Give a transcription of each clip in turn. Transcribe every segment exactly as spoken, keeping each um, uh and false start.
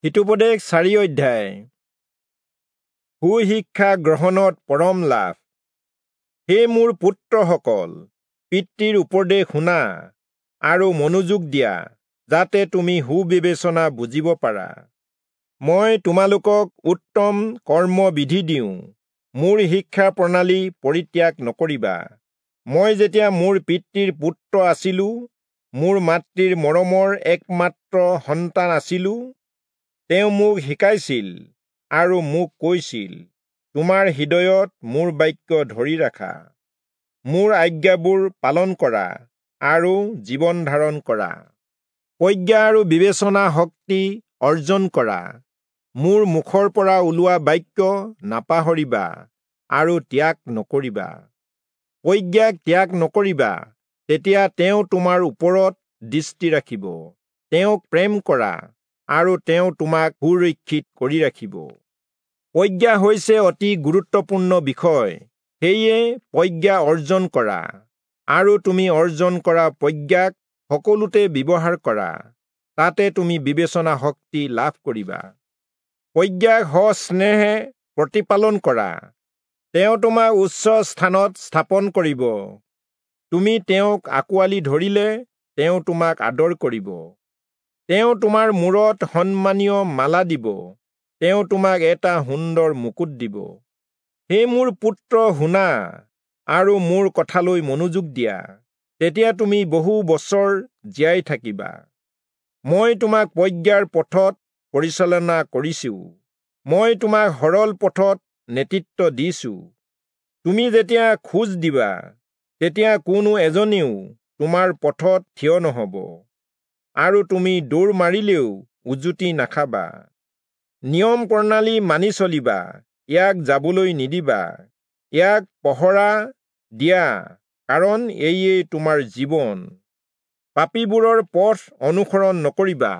হিতোপদেশ চাৰি অধ্যায়। সুশিক্ষা গ্ৰহণত পৰম লাভ। হে মোৰ পুত্ৰসকল, পিতৃৰ উপদেশ শুনা আৰু মনোযোগ দিয়া, যাতে তুমি সুবিবেচনা বুজিব পাৰা। মই তোমালোকক উত্তম কৰ্মবিধি দিওঁ, মোৰ শিক্ষা প্ৰণালী পৰিত্যাগ নকৰিবা। মই যেতিয়া মোৰ পিতৃৰ পুত্ৰ আছিলো, মোৰ মাতৃৰ মৰমৰ একমাত্ৰ সন্তান আছিলো, তেওঁ মোক শিকাইছিল আৰু মোক কৈছিল, তোমাৰ হৃদয়ত মোৰ বাক্য ধৰি ৰাখা, মোৰ আজ্ঞাবোৰ পালন কৰা আৰু জীৱন ধাৰণ কৰা। প্ৰজ্ঞা আৰু বিবেচনা শক্তি অৰ্জন কৰা, মোৰ মুখৰ পৰা ওলোৱা বাক্য নাপাহৰিবা আৰু ত্যাগ নকৰিবা। প্ৰজ্ঞাক ত্যাগ নকৰিবা, তেতিয়া তেওঁ তোমাৰ ওপৰত দৃষ্টি ৰাখিব। তেওঁক প্ৰেম কৰা আৰু তেওঁ তোমাক সুৰক্ষিত কৰি ৰাখিব। প্ৰজ্ঞা হৈছে অতি গুৰুত্বপূৰ্ণ বিষয়, সেয়ে প্ৰজ্ঞা অৰ্জন কৰা আৰু তুমি অৰ্জন কৰা প্ৰজ্ঞাক সকলোতে ব্যৱহাৰ কৰা, তাতে তুমি বিবেচনা শক্তি লাভ কৰিবা। প্ৰজ্ঞাক সস্নেহে প্ৰতিপালন কৰা, তেওঁ তোমাক উচ্চ স্থানত স্থাপন কৰিব। তুমি তেওঁক আঁকোৱালি ধৰিলে তেওঁ তোমাক আদৰ কৰিব। তেওঁ তোমাৰ মূৰত সন্মানীয় মালা দিব, তেওঁ তোমাক এটা সুন্দৰ মুকুট দিব। হে মোৰ পুত্ৰ, শুনা আৰু মোৰ কথালৈ মনোযোগ দিয়া, তেতিয়া তুমি বহু বছৰ জীয়াই থাকিবা। মই তোমাক প্ৰজ্ঞাৰ পথত পৰিচালনা কৰিছো, মই তোমাক সৰল পথত নেতৃত্ব দিছো। তুমি যেতিয়া খোজ দিবা, তেতিয়া কোনো এজনেও তোমাৰ পথত থিয় নহব, আৰু তুমি দৌৰ মাৰিলেও উজুতি নাখাবা। নিয়ম প্ৰণালী মানি চলিবা, ইয়াক যাবলৈ নিদিবা, ইয়াক পহৰা দিয়া, কাৰণ এয়ে তোমাৰ জীৱন। পাপীবোৰৰ পথ অনুসৰণ নকৰিবা,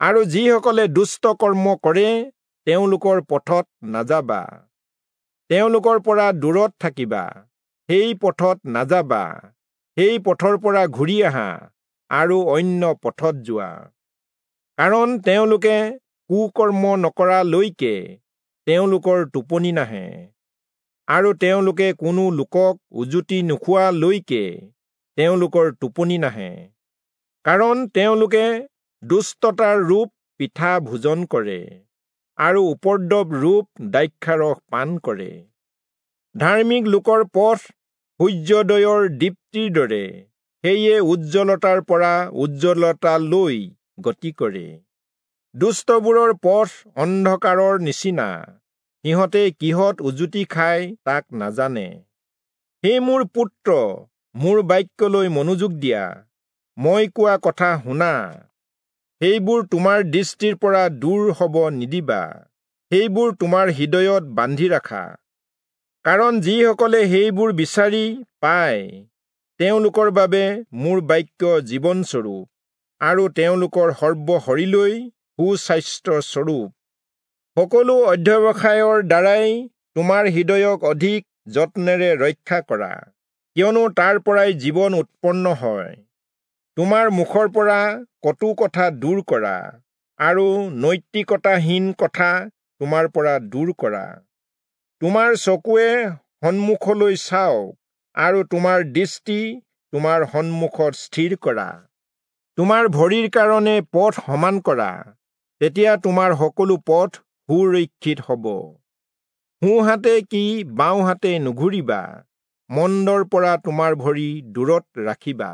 আৰু যিসকলে দুষ্ট কৰ্ম কৰে তেওঁলোকৰ পথত নাযাবা। তেওঁলোকৰ পৰা দূৰত থাকিবা, সেই পথত নাযাবা, সেই পথৰ পৰা ঘূৰি আহা আৰু অন্য পথত যোৱা। কাৰণ তেওঁলোকে কুকৰ্ম নকৰালৈকে তেওঁলোকৰ টোপনি নাহে, আৰু তেওঁলোকে কোনো লোকক উজুতি নোখোৱালৈকে তেওঁলোকৰ টোপনি নাহে। কাৰণ তেওঁলোকে দুষ্টতাৰ ৰূপ পিঠা ভোজন কৰে আৰু উপদ্ৰৱ ৰূপ দ্ৰাক্ষাৰস পান কৰে। ধাৰ্মিক লোকৰ পথ সূৰ্যোদয়ৰ দীপ্তিৰ দৰে, সেয়ে উজ্জ্বলতাৰ পৰা উজ্জ্বলতালৈ গতি কৰে। দুষ্টবোৰৰ পথ অন্ধকাৰৰ নিচিনা, সিহঁতে কিহত উজুতি খায় তাক নাজানে। হে মোৰ পুত্ৰ, মোৰ বাক্যলৈ মনোযোগ দিয়া, মই কোৱা কথা শুনা। সেইবোৰ তোমাৰ দৃষ্টিৰ পৰা দূৰ হব নিদিবা, সেইবোৰ তোমাৰ হৃদয়ত বান্ধি ৰাখা। কাৰণ যিসকলে সেইবোৰ বিচাৰি পায়, তেওঁলোকৰ বাবে মোৰ বাক্য জীৱনস্বৰূপ, আৰু তেওঁলোকৰ সৰ্বশৰীৰলৈ সুস্বাস্থ্যস্বৰূপ। সকলো অধ্যৱসায়ৰ দ্বাৰাই তোমাৰ হৃদয়ক অধিক যত্নেৰে ৰক্ষা কৰা, কিয়নো তাৰ পৰাই জীৱন উৎপন্ন হয়। তোমাৰ মুখৰ পৰা কটু কথা দূৰ কৰা, আৰু নৈতিকতাহীন কথা তোমাৰ পৰা দূৰ কৰা। তোমাৰ চকুৱে সন্মুখলৈ চাওক, আৰু তোমাৰ দৃষ্টি তোমাৰ সন্মুখত স্থিৰ কৰা। তোমাৰ ভৰিৰ কাৰণে পথ সমান কৰা, তেতিয়া তোমাৰ সকলো পথ সুৰক্ষিত হব। সোঁহাতে কি বাওঁহাতে নুঘূৰিবা, মন্দৰ পৰা তোমাৰ ভৰি দূৰত ৰাখিবা।